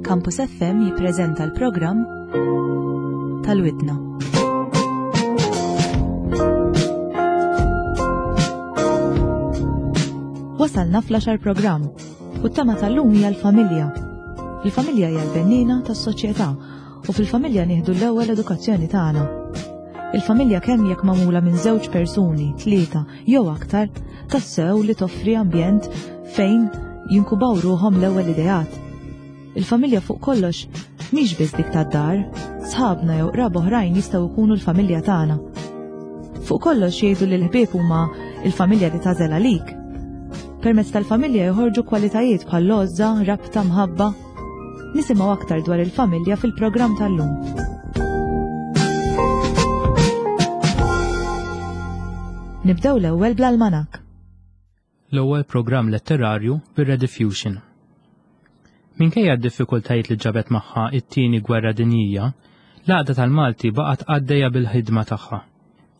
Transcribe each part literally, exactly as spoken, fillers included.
Campus F M jippreżenta l-programm tal-Widna. Wasalna fl-għaxar programm u t-tema tal-lum hija l-familja. Il-familja hija l-bennina tas-soċjetà u fil-familja nieħdu l-ewwel edukazzjoni tagħna. Il-familja, kemm jekk magħmula minn żewġ persuni, tlieta jew aktar, tassew li toffri ambjent fejn jinkubaw ruħhom l-ewwel ideat. Il-familja fuq kollox mhix biss dik tad-dar, sħabna jew qraba oħrajn jistgħu jkunu l-familja tagħna. Fuq kollox jgħidu li l-ħbieb huma il-familja li tagħżel għalik. Permezz tal-familja joħorġu kwalitajiet bħal għożża, rabta, mħabba. Nisimgħu aktar dwar il-familja fil-programm tal-lum. Nibdew l-ewwel bl-almanak. L-ewwel programm letterarju bir-Rediffusion. Minkejja d-diffikultajiet li ġabet magħha it-tieni gwerra dinjija, l-Għaqda tal-Malti baqgħet għaddejja bil-ħidma tagħha.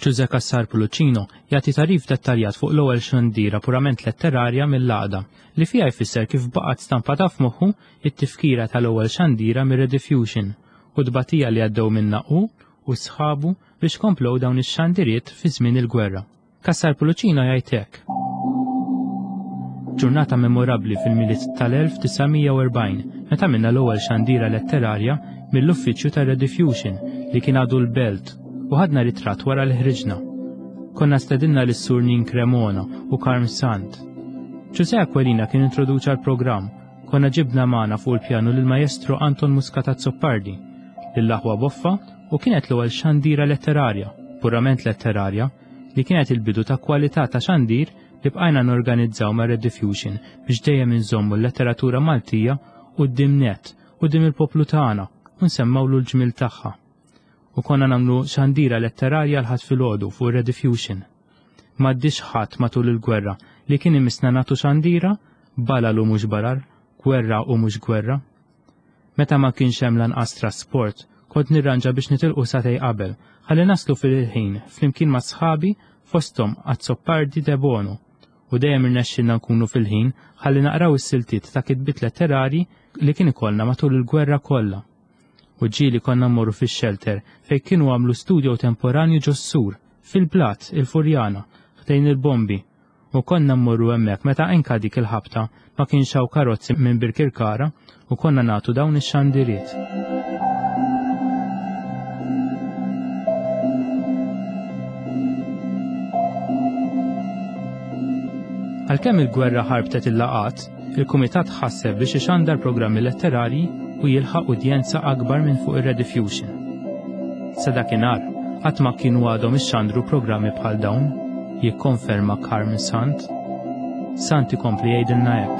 Ġuże Cassar Pullicino jagħti tagħrif dettaljat fuq l-ewwel xandira purament letterarja mill-Għaqda, li fiha jfisser kif baqgħet stampata f'moħħu it-tifkira tal-ewwel xandira mir-Rediffusion u tbatija li għaddew minna hu u sħabu biex komplow dawn ix-xandiriet fi żmien il-gwerra. Cassar Pullicino jgħid hekk. Ġurnata memorabbli fil-Milied tal-elf disa' mija u erbgħin meta minna l-ewwel xandira letterarja mill-uffiċċju tar-Rediffusion li kien għadu l-Belt u ħadna ritratt wara li ħriġna. Konna stedinna lis-Sur Nin Cremona u Karm Sant. Ġuże Aquilina kien introduċa l-programm. Konna ġibna magħna fuq il-pjanu lil maestro Anton Muscat Azzopardi, lill-aħwa Boffa, u kienet l-ewwel xandira letterarja, purament letterarja, li kienet il-bidu ta' kwalità ta' xandir li bqajna norganizzaw ma' Rediffusion biex dejjem inżommu l-letteratura Maltija quddiem net, quddiem il-poplu tagħna, u nsemmawlu l-ġmil tagħha. U konna nagħmlu xandira letterarja l-Ħadd filgħodu fuq Rediffusion. M'għaddix ħadd matul il-gwerra li kien imissna nagħtu xandira, balal u mhux balal, gwerra u mhux gwerra. Meta ma kienx hemm lanqas trasport, kont nirranġa biex nitilqu sagħtejn qabel, ħalli naslu fil-ħin flimkien ma' sħabi, fosthom Azzopardi Debono, u dejjem irnexxilna nkunu fil-ħin ħalli naqraw is-siltiet ta' kitbiet letterari li kien ikollna matul il-gwerra kollha. U ġieli konna mmorru fix-shelter fejn kienu għamlu studio temporanju ġos-sur, fil-blat, il-Furjana, ħdejn il-bombi, u konna mmorru hemmhekk meta anka dik il-ħabta ma kienx hawn karozzi minn Birkirkara u konna nagħtu dawn ix-xandiriet. Għalkemm il-gwerra ħarbtet il-laqat, il-Kumitat ħasseb biex ixandar programmi letterarji u jilħaq udjenza akbar minn fuq ir-Rediffusion. Sa dakinhar, qatt ma kienu għadhom ixxandru programmi bħal dawn, jikkonferma Carmen Sant. Sant ikompli jgħidilna hekk.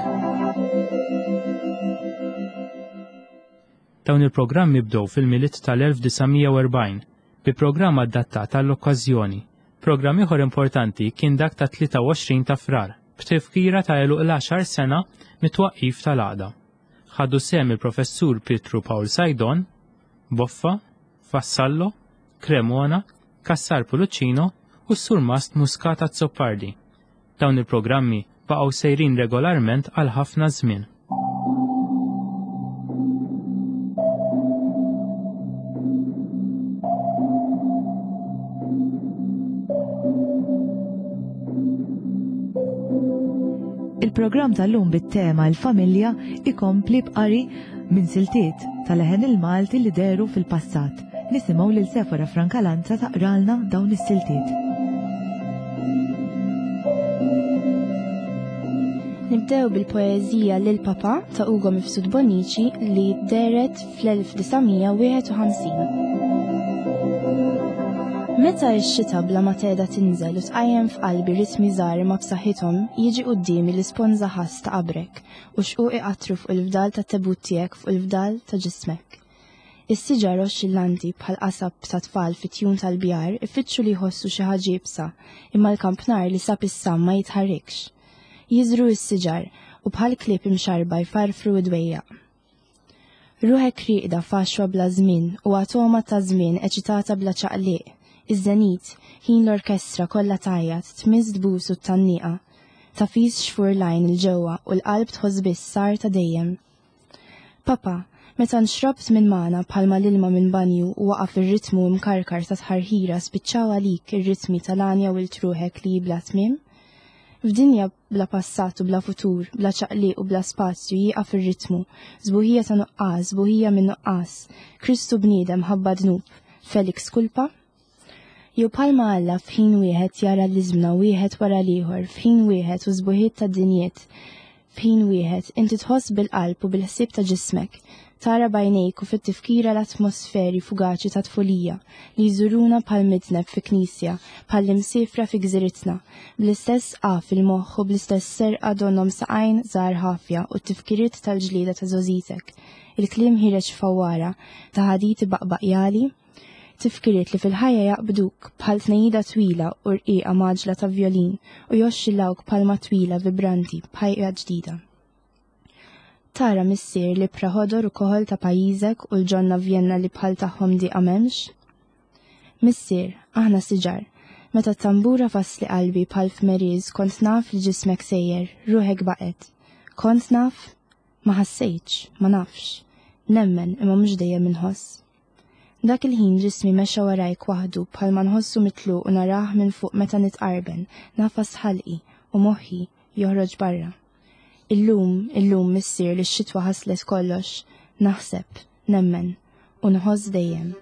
Dawn il-programmi bdew fil-Milied tal-elf disa' mija u erbgħin bi programm adattat għall-okkażjoni. Programm ieħor importanti kien dak ta' tlieta u għoxrin ta' Frar, b'tifkira ta' għeluq l-għaxar sena mit-twaqqif tal-Għaqda. Ħadu sehem il-professur Pietru Pawl Saydon, Boffa, Vassallo, Cremona, Cassar Pullicino u s-Surmast Muscat Azzopardi. Dawn il-programmi baqgħu sejrin regolarment għal ħafna żmien. Il-programm tal-lum bit-tema il-familja ikompli b'qari minn siltiet tal-Leħen il-Malti li dehru fil-passat. Nisimgħu lil Sefora Francalanza taqralna dawn is-siltiet. Nibdew bil-poeżija Lil Papa ta' Ugo Mifsud Bonnici li dehret fl-elf disa' mija u wieħed u ħamsin. Meta x-xita bla ma tehda tinżel u tqajjem f'qalbi ritmi żgħar ma b'saħħithom, jiġi quddiemi l-isponża ħass ta' qabrek u xquq iqattru fuq il-fdal ta' tebut tiegħek, fuq il-fdal ta' ġismek. Is-siġar oxxillanti bħal qasab ta' tfal fit-tjun tal-bjar ifittxu li jħossu xi ħaġa iebsa, imma l-kampnar li sab is-sam ma jitħarrikx. Jiżru s-siġar u bħal klieb imxarba jfarfru id-dwejjaq. Ruħek rieqda f'għaxwa bla żmien u atoma ta' żmien eċitata bla ċaqliq. Iż-żenit, ħin l-orkestra kollha tgħajjat, tmiss tbus u t-tgħanniqa. Tagħfis xfur l-għajn 'il ġewwa u l-qalb tħoss biss sar ta' dejjem. Papa, Meta nxrobt minn magħna bħalma l-ilma minn banju u waqaf ir-ritmu mkarkar ta' tħarħira spiċċaw għalik ir-ritmi tal-għanja u l-truħek li bla tmiem? F'dinja bla passat u bla futur, bla ċaqliq u bla spazju jieqaf ir-ritmu, żbuħija ta' nuqqas, żbuħija minn nuqqas, Kristu bniedem ħabba dnub, Felix kulpa? Jew bħalma Alla f'ħin wieħed jara l-iżmna wieħed wara l-ieħor, f'ħin wieħed u żbuħiet ta' dinjiet, f'ħin wieħed inti tħoss bil-qalb u bil-ħsieb ta' ġismek, tara bajnejk u fit-tifkira l-atmosferi fugaċi ta' tfulija li jżuruna bħal midneb fi knisja, bħal imsifra fi gżiritna, bl-istess qa fil-moħħ u bl-istess serqa donhom saqajn żgħar ħafja u t-tifkiriet tal-ġlieda ta' żożitek, il-kliem ħireġ fawwara ta' ħaditi baqbaq jali, tifkiriet li fil-ħajja jaqbduk bħal tnejida twila u rqiqa maġla ta' violin u joxxillawk palma twila vibranti b'ħajja ġdida. Tara missier li praħodor u koħol ta' pajjiżek u l-ġonna Vjenna li bħal tagħhom diqa m'hemmx? Missier, aħna siġar, meta t-tambura fasli qalbi bħal f'meriż kont naf li ġismek sejjer, ruħek baqgħet. Kont naf? Ma ħassejtx, ma nafx. Nemmen imma mhux dejjem inħoss. Dak il-ħin ġismi mexa warajk waħdu bħalma nħossu mitluq u narah minn fuq meta nitqarben, nafas ħalqi u moħħi joħroġ barra. Illum, illum missier li x-xitwa ħaslet kollox, naħseb, nemmen u nħoss dejjem.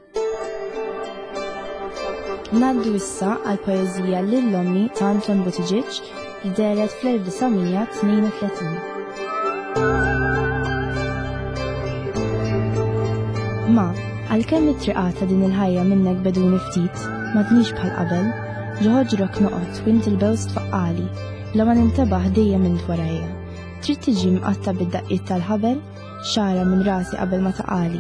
Ngħaddu issa għal poeżija lil ommi ta' Anton Buttigieg li dehret fl-elf disa' tnejn u tletin. Ma, għalkemm it-triqat ta' din il-ħajja minnek beduni ftit, m'għadnix bħal qabel, ġoħoġrok noqgħod u int il-bews tfaqqali, bla ma nintebaħ dejjem int warajja. Trid tiġi mqatta bid-daqqiet tal-ħabel, xara minn rasi qabel ma taqali.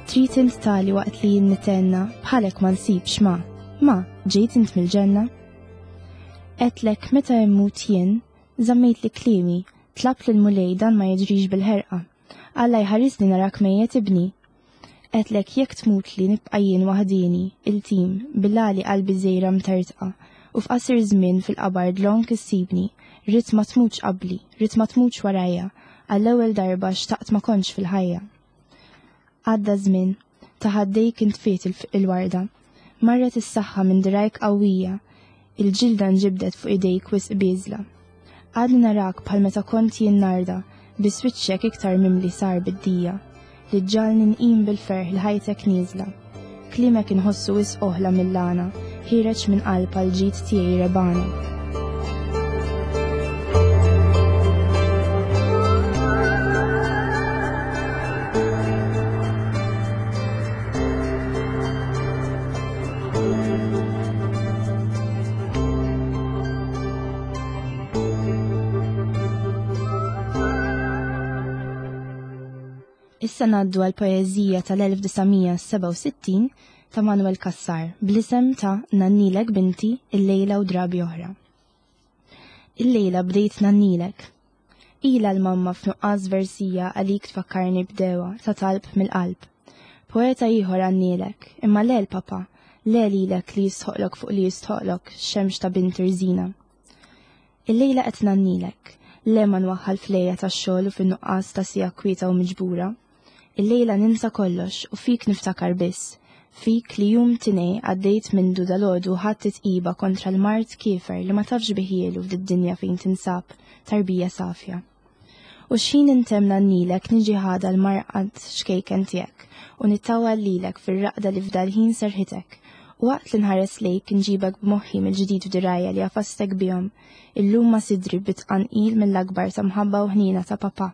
Trid int tali waqt li jien nitenna, bħalek ma nsibx ma, ma, ġejt int mill-ġenna. Għedtlek meta immut jien, żammejt li kliemi, tlabt lil Mulej dan ma jiġrix bil-ħerqa. Alla jħarisni narak mejjet ibni. Għedtlek jekk tmut li nibqa' jien waħdini, il-tim, bil-għali qalbi żejra mtertqa, u f'qasir żmien fil-qabar dlonk issibni, rrid ma tmutx qabli, rrid ma tmutx warajja, għall-ewwel darba xtaqt ma kontx fil-ħajja. Għadda żmien, ta' ħaddejk intfiet il-warda, marret is-saħħa minn dirajk qawwija, il-ġilda nġibdet fuq idejk wisq bieżla. Għadni narak bħal meta kont jien narda, biss wiċċek iktar mimli sar bid-dija, li ġġalni nqim bil-ferħ li ħajtek nieżla. Kliemek inħossu wisq oħla mill-għana, ħireġ minn qalb għal ġid tiegħi rebana. Issa ngħaddu għal poeżija tal-elf disa' sebgħa u sittin ta' Manuel Cassar bl-isem ta' Nannilek binti illejla u drabi oħra. Illejla bdejt nannilek. Ila l-mamma f'nuqqas versija għalik tfakkarni b'dewa ta' talb mill-qalb. Poeta ieħor għannilek, imma le l-papa, le lilek li jistħoqlok fuq li jistħoqlok xemx ta' bint irżina. Illejla qed nannilek, le ma nwaħħal flejja tax-xogħol u fin-nuqqas ta' sija kwieta u miġbura. Illejla ninsa kollox u fik niftakar biss, fik li jum tinej għaddejt mindu dalodu ħadd titqiba kontra l-mart kiefer li ma tafx biħielu f'did-dinja fejn tinsab tarbija safja. U x'ħin intemm nannilek niġi ħada l-marqad xkejken tiegħek u nittawal lilek fir-raqda li f'dal-ħin serħitek. U waqt li nħares lejk nġibek b'moħħi mill-ġdid f'dirajja li għafastek bihom, illum ma sidri bitqanqil mill-akbar ta' mħabba u ħnina ta' papa.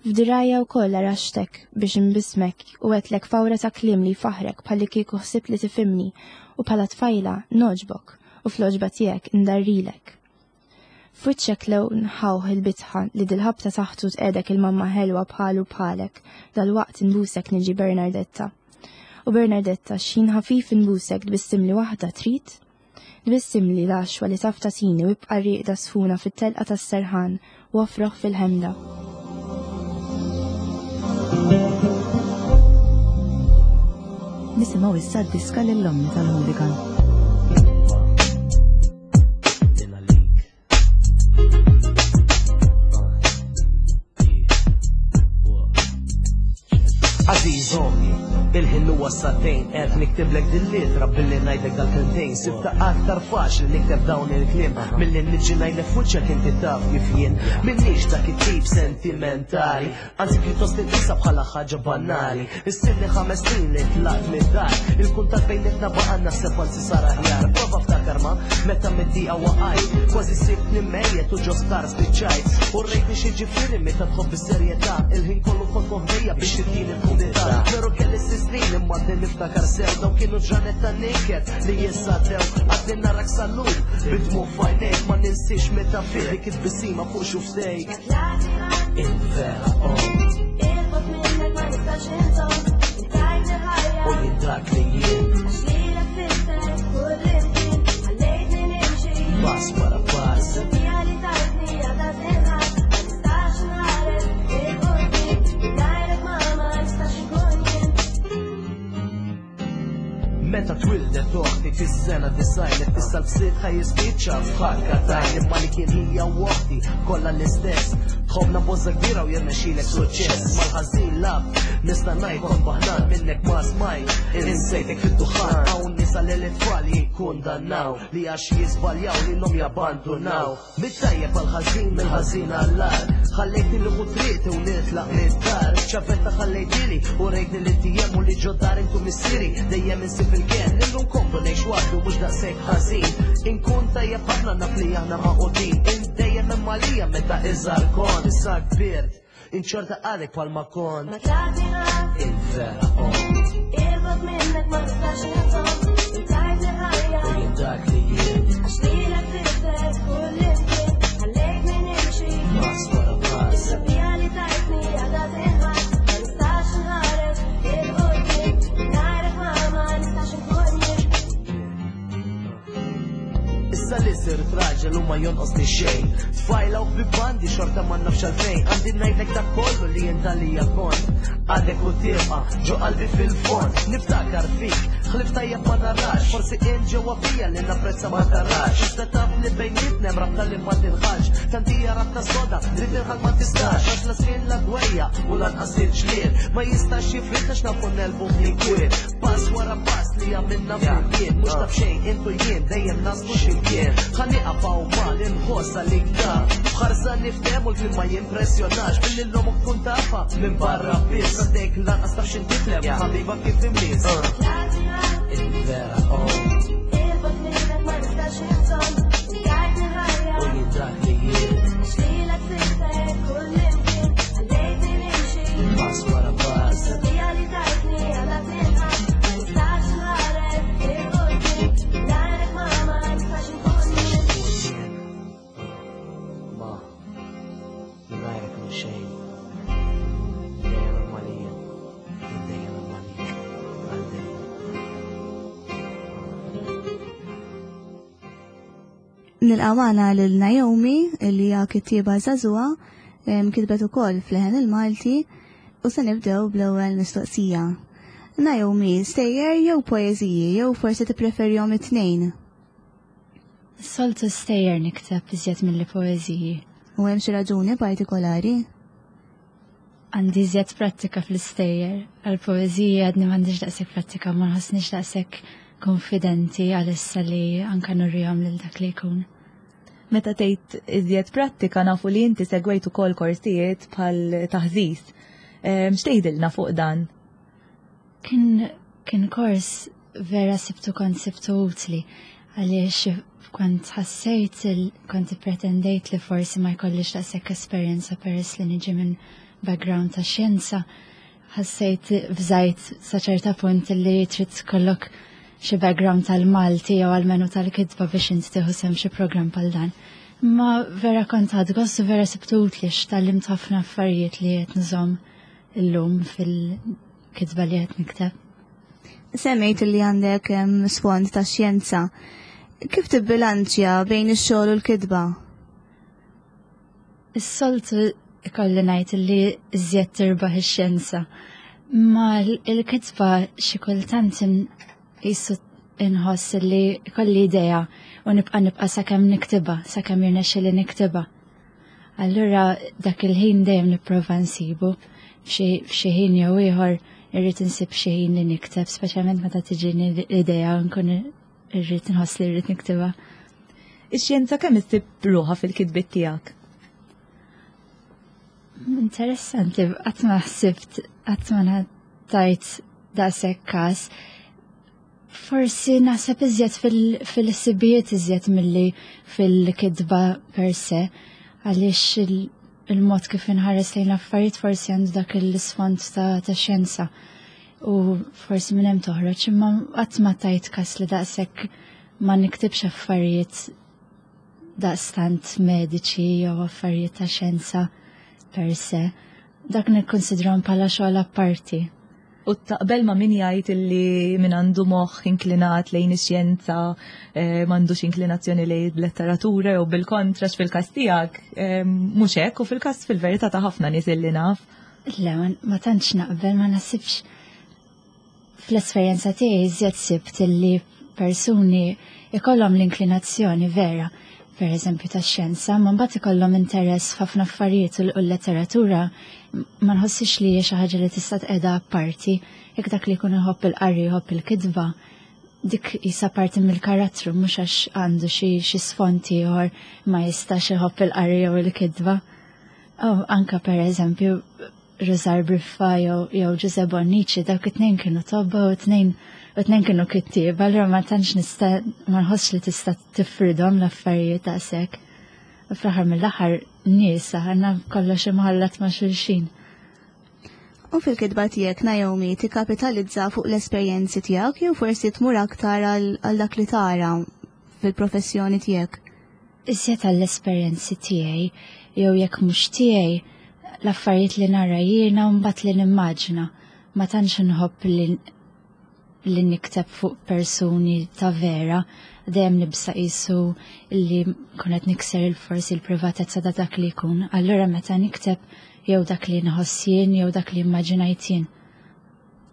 F'dirajja wkoll araxtek biex imbismek u għedtlek fawra ta' kliem li jfaħrek bħalli kieku ħsibt li tifhimni u bħala tfajla noġbok u fl-oġba tiegħek indarrilek. F'wiċċek lewn ħawħ il-bitħa li dil-ħabta taħtu tqedek il-mamma ħelwa bħalu bħalek, dal-waqt inbusek niġi Bernardetta. U Bernardetta x'ħin ħafif inbusek tbissimli waħda trid? Tbissimli l-għaxwa li taf tagħtini u ibqa' rieqda sħuna fit-telqa tas-serħan u afroħ fil-ħemda. Nisimgħu issa d-diska lill-omni tal-Hooligan. Għażiż ommi, il-ħin huwa sagħtejn, qed niktiblek dil-ittra billi ngħidlek dal-kelmtejn. Sibtha aktar faċli nikteb dawn il-kliem milli niġi ngħidlek f'wiċċek, inti taf kif jien. M'inix dak it-tip sentimentali, anzi pjuttost inqisha bħala ħaġa banali. Ilni ħames snin li tlaqt mid-dar, il-kuntatt bejnietna baqa', naħseb anzi sar aħjar. Prova ftakar ma, meta mid-diqa waqajt, kważi sibtni mejjet u ġo sptar spiċċajt. U rejtni x'jiġifieri meta tħobb bis-serjetà, il-ħin kollu kont moħdejja biex tittini l-kumdità. Veru kelli snin imma għadni niftakar sew, daw kienu ġranet ta' niket li issa għaddew. Għadni narak sal-lum bid-dmugħ f'għajnejk, ma ninsiex meta fih dik it-tbissima fuq xufftejk. Il-vera omm. Il-bogħod minnek ma nistax inżomm, tajtni ħajja. U jien dak li jien. Għax lilek sirt kullimkien, ħallejtni nimxi. Pass wara pass. It-tarbija li tajtni għadha tinħass, ma nistax nħares 'il quddiem, mingħajrek ma ma nistax inkun jien. Meta twildet oħti fis-sena disgħin, issa l-fsit ħa jispiċċa f'ħakka t'għajn, imma li kien hija oħti kollha l-istess. Tħobbna b'għożża kbira u jirnexxilek suċċess. Mal-ħażin lab, nista' ngħid kont baħnan, minnek ma smajt, insejtek fid-duħan. Hawn nisa li l-tfal jikkundannaw li għax jiżbaljaw lilhom jabbandunaw. Mit-tajjeb għal-ħażin, mill-ħażin għall-agħar. Ħallejtni nieħu triqti u nitlaq mid-dar. Ċavetta ħallejtili u rejtni li tijem u li ġod-dar intu missieri. Dejjem insib il-ken, illum komdu ngħix waħdu, mhux daqshekk ħażin. Inkun tajjeb ħafna, naf li aħna magħqudin. Int dejjem hemm għalija meta iżgħar kont, issa kbirt. Inċorta għalek bħalma kont. Ma tlaqni ħadd. Il-vera omm. Il-bogħod minnek ma nistax inżomm, tajtni ħajja. U jien dak li jien. Għax lilek sirt kullimkien, ħallejtni nimxi. Pass wara pass. It-tarbija li tajtni għadha tinħass, ma nistax nħares 'il quddiem, mingħajrek ma ma nistax inkun jien. Issa li sirt raġel u ma jonqosni xejn, tfajla u ħbieb għandi xorta ma nafx għalfejn. Għandi ngħidlek dak kollu li jien għalija kont, għadek u tibqa' ġo qalbi fil-fond. Niftakar fik, ħlief tajjeb ma narax. Forsi int ġewwa fija li napprezza ma tarax. Iżda taf li bejnietna hemm rabta li ma tinħallx. Tant hija rabta soda li tinħall ma tistax. Għax la żmien, la dwejjaq u lanqas il-ġlied ma jistax jifridna, x'nafu negħlbu flimkien. Pass wara pass li għamilna flimkien, mhux ta' b'xejn intu jien dejjem naslu x'imkien. Ħa nieqaf hawn ma li nħossa li ktar. B'ħarsa niftehmu, l-kliem ma jimpressjonax. Billi l-omok tkun tafha minn barra biss. Għaddejk lanqas taf x'int tiflem, ħabiba kif imiss. Tlaqni ħadd. Il-vera omm. Il-bogħod minnek ma nistax inżomm, tajtni ħajja. U jien dak li jien. Għax lilek sirt kullimkien, ħallejtni nimxi. Pass wara pass. It-tarbija li tajtni għadha tinħass, ma nistax nħares 'il quddiem, mingħajrek ma ma nistax inkun jien. Ma, mingħajrek minn xejn. Dejjem hemm għalija. Dejjem hemm għalija. Għal dejjem. Nilqgħu magħna lil Naomi li hija kittieba żagħżugħa, em, kitbet ukoll f'Leħen il-Malti u se nibdew bl-ewwel mistoqsija. Naomi, stejjer jew poeżiji, jew forsi tippreferihom it-tnejn? Soltu stejjer nikteb iżjed mill poeżiji. U hemm xi raġuni partikolari? Għandi iżjed prattika fl-istejjer. Għal-poeżiji għadni m'għandix daqshekk prattika, ma nħossnix daqshekk konfidenti għalissa li anka nurrihom lil dak li jkun. Meta tgħid iżjed prattika, nafu li inti segwejt ukoll korsijiet bħal taħżiż. Em, X'tgħidilna fuq dan? Kien kien kors vera sibtu kont sibtu utli għaliex kont ħassejt il- kont pretendejt li forsi ma jkollix daqshekk esperjenza peress li niġi minn background ta' xjenza. Ħassejt bżajt sa ċerta punt li trid tkollok xi background tal-Malti jew almenu tal-kitba biex inti tieħu sehem xi programm bħal dan. Ma vera kont ħadt gost u vera sibtu utli, tgħallimt ħafna affarijiet li qed nżomm illum fil-kitba li qed nikteb. Semmejt li għandek em, sfond ta' xjenza. Kif tibbilanċja bejn ix-xogħol u l-kitba? Is-soltu ikolli ngħid li iżjed tirbaħ ix-xjenza. Ma l- il-kitba xi kultant in- jisu inħoss li ikolli idea u nibqa' nibqa' sakemm niktibha, sakemm jirnexxili niktibha. Allura dak il-ħin dejjem nipprova nsibu f'xi f'xi ħin jew ieħor. irrid insib xi ħin li nikteb, speċjalment meta tiġini l-idea nkun irrid nħoss li rrid niktibha. Ix-xjenza kemm issib ruħha fil-kitbiet tiegħek? Interessanti, qatt ma ħsibt, qatt ma tajt daqshekk każ. Forsi naħseb iżjed fil-ħsibijiet iżjed milli fil-kitba per se, għaliex il-mod kif inħares lejn l-affarijiet forsi għandu dak l-isfond ta' xjenza u forsi minn hemm toħroġ, imma qatt ma tajt kas li daqshekk ma niktibx affarijiet daqstant mediċi jew affarijiet ta' xjenza per se. Dak nikkonsidrahom bħala xogħol apparti. U taqbel ma' min jgħid illi min għandu moħħ inklinat lejn ix-xjenza eh, m'għandux inklinazzjoni lejn letteratura jew bil-kontra fil-każ tiegħek eh, mhux hekk u fil-każ fil-verità ta' ħafna nies illi naf. Le, ma tantx naqbel, ma nasibx fl-esperjenza tiegħi iżjed sibt illi persuni ikollhom l-inklinazzjoni vera, per eżempju ta' xjenza, ma mbagħad ikollhom interess f'ħafna affarijiet u l-letteratura ma nħossix li hija xi ħaġa li tista' tqiegħda apparti, jekk dak li jkun iħobb il-qari jħobb il-kitba, dik jisa parti mill-karattru mhux għax għandu xi xi sfond ieħor ma jistax iħobb il-qari jew il-kitba. Oh, anka per eżempju Rużar Briffa jew jew Giuseppe Bonnici, dawk it-tnejn kienu tobba u tnejn u tnejn kienu kittieba, allura ma tantx nista' ma nħossx li tista' tifridhom l-affarijiet daqshekk. U fl-aħħar mill-aħħar nies aħna kollox imħallat ma' xulxin. U fil-kitba tiegħek Naomi tikkapitalizza fuq l-esperjenzi tiegħek jew forsi tmur aktar għal dak li tara fil-professjoni tiegħek? Iżjed għall-esperjenzi tiegħi jew jekk mhux tiegħi l-affarijiet li nara jiena u mbagħad li nimmaġina. Ma tantx inħobb li li nikteb fuq persuni ta' vera, dejjem nibsa qisu li kunet nikser il-forsi l-privatezza ta' dak li jkun. Allura meta nikteb jew dak li nħoss jien jew dak li immaġinajt jien.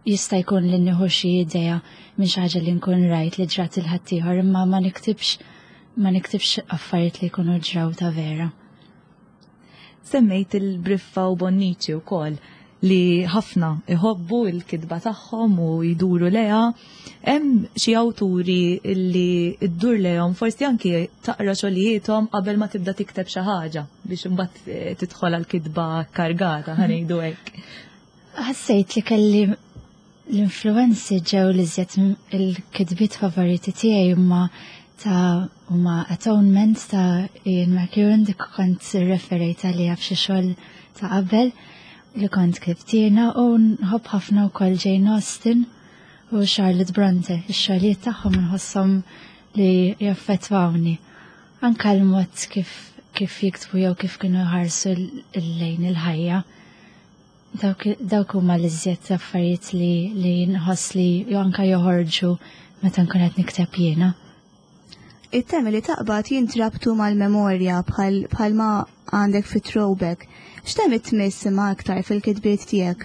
Jista' jkun li nieħu xi idea minn xi ħaġa li nkun rajt li ġrat il ħaddieħor, imma ma niktibx ma niktibx affarijiet li jkunu ġraw ta' vera. Semmejt il-Briffa u Bonnici wkoll li ħafna iħobbu il-kitba tagħhom u jduru leha. Hemm xi awturi li ddur lehom forsi anki taqra xogħlijiethom qabel ma tibda tikteb xi ħaġa biex imbagħad tidħol għall-kitba kargata ħa ngħidu hekk. Ħassejt li kelli l-influenzi ġew li żjed il-kitbiet favoriti tiegħi huma ta' huma Atonement ta' Ian McEwan, dik kont referejt għaliha f'xi xogħol ta' qabel li kont ktibt jiena, u nħobb ħafna wkoll Jane Austen u Charlotte Bronte. Ix-xogħlijiet tagħhom nħosshom li jaffettwawni. Anka l-mod kif kif jiktbu jew kif kienu jħarsu lejn il-ħajja. Dawk huma l-iżjed affarijiet li li nħoss li jew anka joħorġu meta nkun qed nikteb jiena. It-temi li taqbad jintrabtu mal-memorja bħal ma għandek fi Throwback. X'temi tmiss ma aktar fil-kitbiet tiegħek?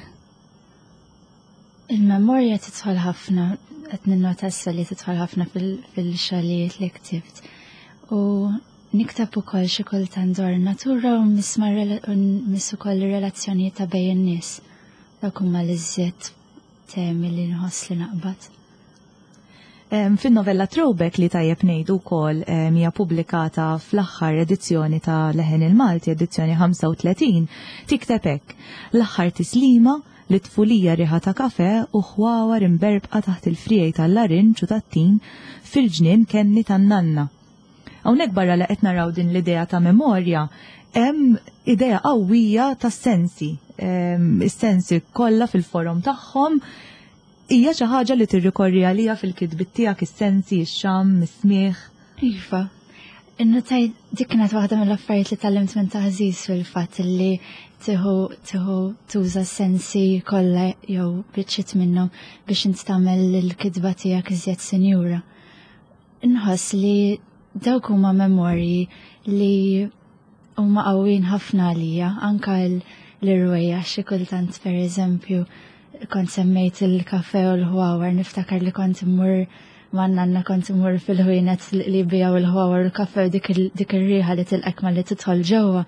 Il-memorja tidħol ħafna, qed ninnota issa li tidħol ħafna fil-xogħlijiet li ktibt. U nikteb ukoll xi kultant dwar natura u miss ukoll ir-relazzjonijiet ta' bejn in-nies. Dawk huma l-iżjed temi li nħoss li naqbad. Fin-novella Throwback li tajjeb ngħidu wkoll hija pubblikata fl-aħħar edizzjoni ta' Leħen il-Malti, edizzjoni ħamsa u tletin, tikteb hekk: l-aħħar tislima li tfulija riħa ta' kafe u ħwawar imberbqa taħt il-friegħi tal-larinġ u tat-tin fil-ġnien kenni tan-nanna. Hawnhekk barra li qed naraw din l-idea ta' memorja, hemm idea qawwija tas-sensi, is-sensi kollha fil-forom tagħhom. Hija xi ħaġa li tirrikorri għalija fil-kitbiet tiegħek, is-sensi, ix-xamm, is-smigħ? Iva. Innotaj dik kienet waħda mill-affarijiet li tgħallimt minn taħżiż fil-fatt li tieħu tieħu tuża s-sensi kollha jew biċċiet minnhom biex int tagħmel il-kitba tiegħek iżjed sinjura. Inħoss li dawk huma memorji li huma qawwin ħafna għalija, anka l-irwejjaħ xi kultant per eżempju kont semmejt il-kafe u l-ħwawar, niftakar li kont immur ma' nanna, kont immur fil-ħwienet li bijaw il-ħwawar u l-kafe u dik ir-riħa li tilqek ma li tidħol ġewwa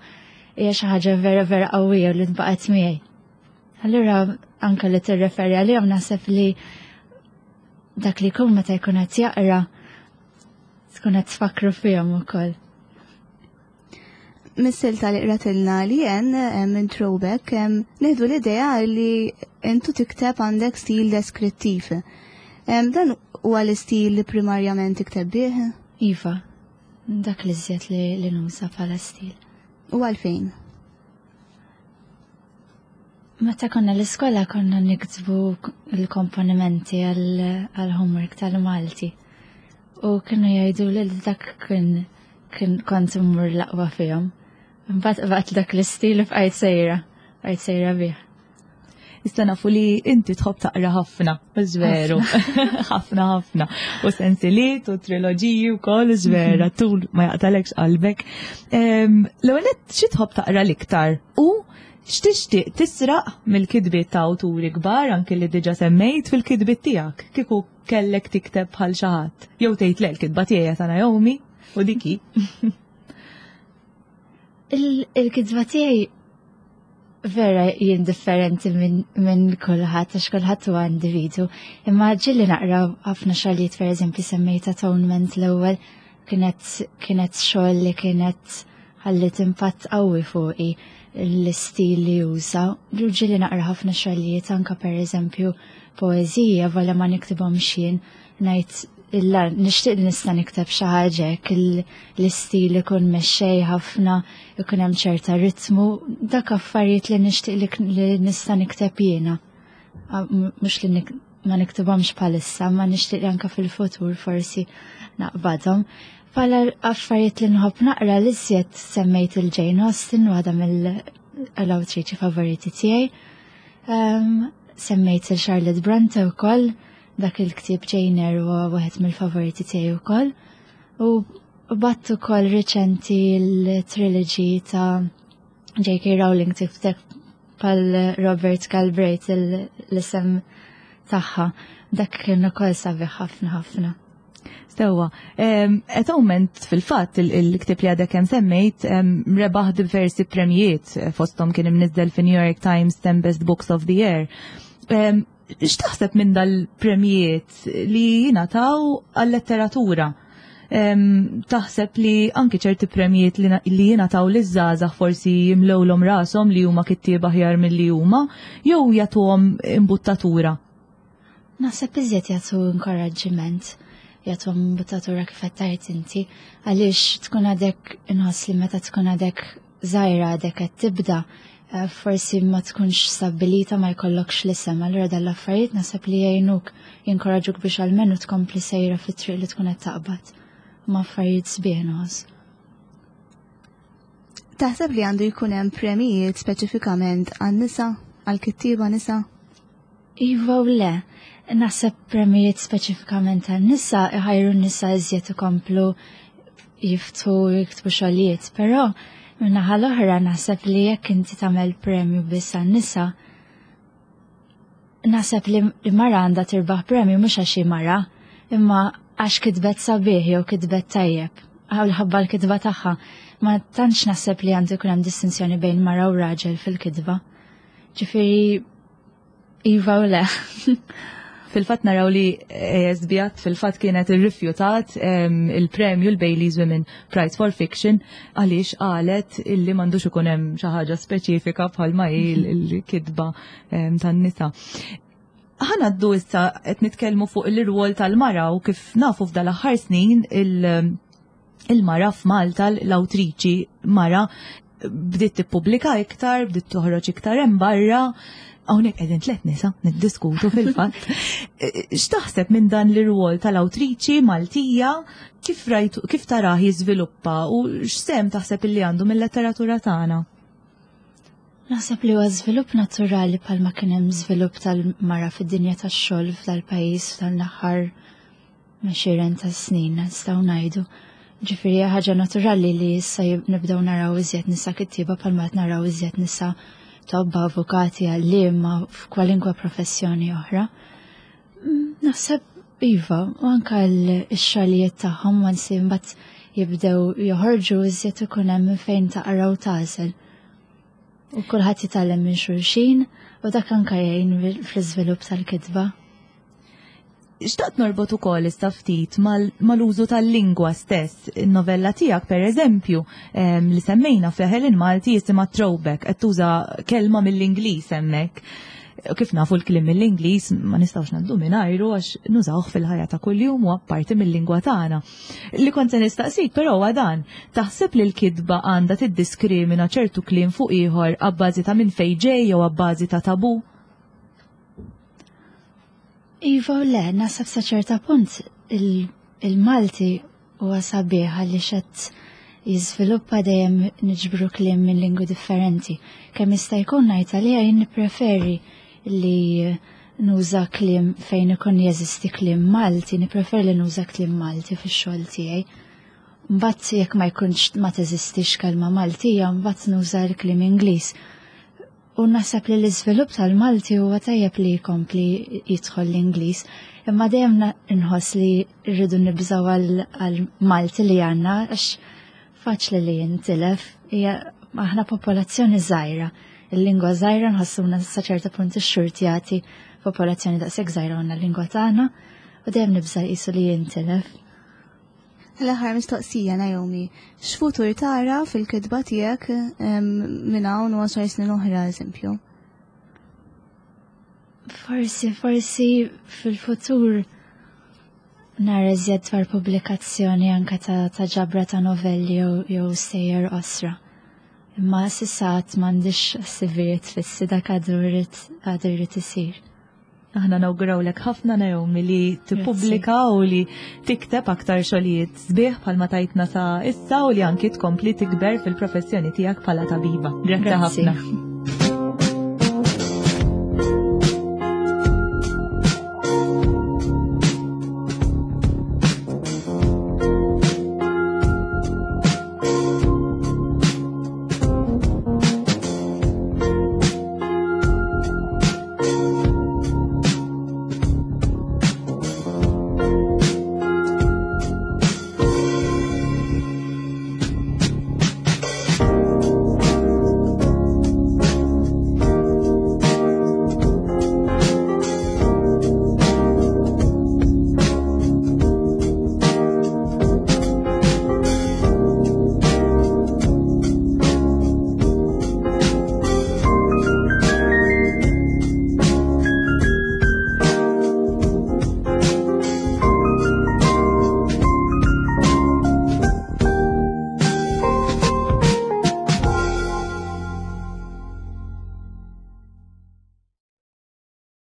hija xi ħaġa vera vera qawwija u li nbaqgħet miegħi. Allura anke li tirreferi għalihom naħseb li dak li jkun meta jkun qed jaqra tkun qed tfakru fihom ukoll. Mis-silta li qratilna li jen minn Throwback, nieħdu l-idea li intu tikteb għandek stil deskrittiv. Dan huwa l-istil li primarjament tikteb bih? Iva, dak li żjed li, li nuża bħala stil. U għalfejn? Meta konna l-iskola konna niktbu l-komponimenti għal-homework tal-Malti. U kienu jgħidu li dak kien kien kont immur l-aqwa fihom. Mbagħad qbadt dak l-istil bqajt sejra, bqajt sejra bih. Issa nafu li inti tħobb taqra ħafna, veru. Ħafna ħafna. U sensiliet u triloġiji u koll vera, tul ma jaqtalekx qalbek. L-ewwel xi tħobb taqra l-iktar u x'tixtieq tisraq mill-kitbiet ta' awturi kbar anke li diġà semmejt fil-kitbiet tiegħek kieku kellek tikteb bħal xi ħadd. Jew tgħid le l-kitba tiegħi ta' Naomi u diki. Il-kitba tiegħi vera jien differenti minn min kulħadd għax kulħadd huwa individu. Imma ġieli naqra ħafna xogħlijiet pereżempju semmejt Atonement l-ewwel kienet kienet xogħol li kienet ħallit impatt qawwi fuqi l-istil li juża. Ġieli naqra ħafna xogħlijiet anka pereżempju poeżija vola ma niktibhomx jien ngħid illa nixtieq li nista' nikteb xi ħaġa hekk l-istil ikun mexxej ħafna, ikun hemm ċerta ritmu, dak affarijiet li nixtieq li nista' nikteb jiena. Mhux li ma niktibhomx bħalissa, ma nixtieq li anke fil-futur forsi naqbadhom. Bħala affarijiet li nħobb naqra li żjed semmejt il-Jane Austen, waħda mill-awtriċi favoriti tiegħi. Semmejt il-Charlotte Bronte wkoll, dak il-ktieb Jane Eyre huwa wieħed mill-favoriti tiegħi wkoll. U qbadt ukoll riċenti l-trilogy ta' J K. Rowling tikteb bħal Robert Galbraith l-isem tagħha. Dak kien ukoll sabiħ ħafna ħafna. Sewwa, Atonement fil-fatt il-ktieb li għadek kemm semmejt rebaħ diversi premijiet fosthom kien imniżżel fi New York Times ten Best Books of the Year. X'taħseb minn dal-premijiet li jingħataw għal-letteratura? Taħseb li anki ċerti premijiet li jingħataw liż-żgħażagħ forsi jimlewlhom rashom li huma kittieba aħjar milli huma jew jagħtuhom imbuttatura? Naħseb iżjed jagħtu inkoraġġiment, jagħtuhom imbuttatura kif qed tgħid inti, għaliex tkun għadek inħoss li meta tkun għadek żgħira għadek qed tibda, forsi ma tkunx stabbilita ma jkollokx l-isem, allura dal-affarijiet naħseb li jgħinuk, jinkoraġuk biex almenu tkompli sejra fit-triq li tkun qed taqbad. Ma affarijiet sbieħ nħoss. Taħseb li għandu jkun hemm premijiet speċifikament għan-nisa, għall-kittieba nisa? Iva u le. Naħseb premijiet speċifikament għan-nisa iħajru n-nisa iżjed ikomplu jiftħu jiktbu xogħlijiet, però min-naħa l-oħra naħseb li jekk inti tagħmel premju biss għan-nisa, naħseb li mara għandha tirbaħ premju mhux għax hi mara, imma għax kitbet sabiħ jew kitbet tajjeb, għal ħabba l-kitba tagħha. Ma tantx naħseb li għandu jkun hemm distinzjoni bejn mara u raġel fil-kitba. Ġifieri iva u le. Fil-fatt naraw li A S Byatt fil-fatt kienet irrifjutat il-premju l-Baileys Women Prize for Fiction għaliex qalet illi m'għandux ikun hemm xi ħaġa speċifika bħalma hi l-kitba tan-nisa. Ħa ngħaddu issa qed nitkellmu fuq il-rwol tal-mara u kif nafu f'dal-aħħar snin il-mara f'Malta, l-awtriċi mara bdiet tippubblika iktar, bdiet toħroġ iktar hemm barra. Hawnhekk qegħdin tliet nisa niddiskutu fil-fatt. X'taħseb minn dan l-irwol tal-awtriċi Maltija, kif rajtu, kif tarah jiżviluppa u x'sehem taħseb illi għandu mill-letteratura tagħna? Naħseb li huwa żvilupp naturali bħalma kien hemm żvilupp tal-mara fid-dinja tax-xogħol f'dal-pajjiż f'dal-aħħar għexieren ta' snin nistgħu ngħidu. Ġifieri ħaġa naturali li issa nibdew naraw iżjed nisa kittieba bħalma qed naraw iżjed nisa tobba, avukati, għalliema f'kwalinkwa professjoni oħra. Naħseb iva, u anka l-xogħlijiet tagħhom once mbagħad jibdew joħorġu iżjed ikun hemm minn fejn taqra u tagħżel. U kulħadd jitgħallem minn xulxin U dak anka jgħin fl-iżvilupp tal-kitba. Xtaqt norbot ukoll issa ftit mal-użu tal-lingwa stess. In-novella tiegħek pereżempju li semmejna f'Leħen il-Malti jisimha Throwback, qed tuża kelma mill-Ingliż hemmhekk. Kif nafu l-kliem mill-Ingliż ma nistgħux ngħaddu mingħajru għax nużawh fil-ħajja ta' kuljum u apparti mill-lingwa tagħna. Li kont se nistaqsik però huwa dan, taħseb li l-kitba għandha tiddiskrimina ċertu kliem fuq ieħor abbażi ta' minn fejn ġej jew abbażi ta' tabu? Iva u le, naħseb sa ċerta punt il-Malti huwa sabiħ għaliex qed jiżviluppa dejjem niġbru kliem minn lingwi differenti. Kemm jista' jkun ngħid għalija jien nippreferi li nuża kliem fejn ikun jeżisti kliem Malti, nippreferi li nuża kliem Malti fix-xogħol tiegħi. Mbagħad jekk ma jkunx ma teżistix kelma Maltija, mbagħad nuża l-kliem Ingliż. U naħseb li l-iżvilupp tal-Malti huwa tajjeb li jkompli jidħol l-Ingliż, imma dejjem nħoss li rridu nibżgħu għal-Malti li għandna għax faċli li jintilef. Hija aħna popolazzjoni żgħira. Il-lingwa żgħira nħossuna sa ċerta punt ixxurtjati popolazzjoni daqshekk żgħira għandna l-lingwa tagħna u dejjem nibża' qisu li jintilef. L-aħħar mistoqsija, Naomi, x'futur tara fil-kitba tiegħek minn hawn u għaxar snin oħra, eżempju? Forsi, forsi fil-futur nara iżjed dwar pubblikazzjoni anka ta', ta ġabra ta' novelli jew, jew stejjer qosra. Imma s'issa għad m'għandix ħsibijiet fissi, dak għadu għadu jrid isir. Aħna nawgurawlek ħafna, Naomi, li tippubblika u li tikteb aktar xogħlijiet sbieħ bħalma tajtna sa issa u li anki tkompli tikber fil-professjoni tiegħek bħala tabiba. Grazzi ħafna.